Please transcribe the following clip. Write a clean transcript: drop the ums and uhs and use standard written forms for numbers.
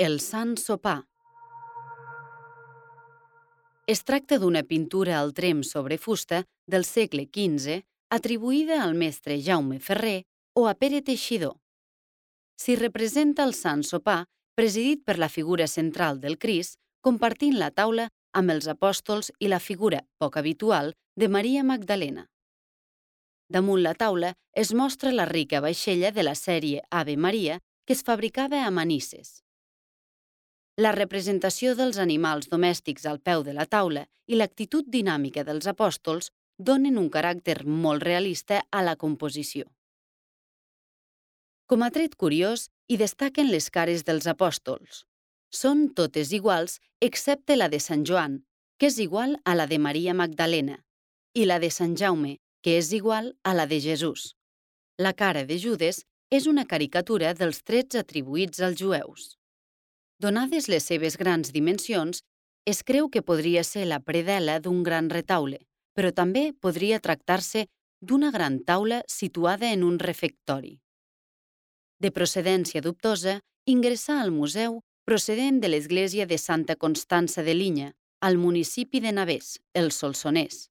El Sant Sopar. Es tracta d'una pintura al tremp sobre fusta del segle XV atribuïda al mestre Jaume Ferrer o a Pere Teixidor. S'hi representa el Sant Sopar presidit per la figura central del Crist compartint la taula amb els apòstols i la figura, poc habitual, de Maria Magdalena. Damunt la taula es mostra la rica vaixella de la sèrie Ave Maria que es fabricava a Manises. La representació dels animals domèstics al peu de la taula i l'actitud dinàmica dels apòstols donen un caràcter molt realista a la composició. Com a tret curiós, hi destaquen les cares dels apòstols. Són totes iguals excepte la de Sant Joan, que és igual a la de Maria Magdalena, i la de Sant Jaume, que és igual a la de Jesús. La cara de Judes és una caricatura dels trets atribuïts als jueus. Donades les seves grans dimensions, es creu que podria ser la predel·la d'un gran retaule, però també podria tractar-se d'una gran taula situada en un refectori. De procedència dubtosa, ingressà al museu procedent de l'església de Santa Constança de Linya, al municipi de Navès, el Solsonès.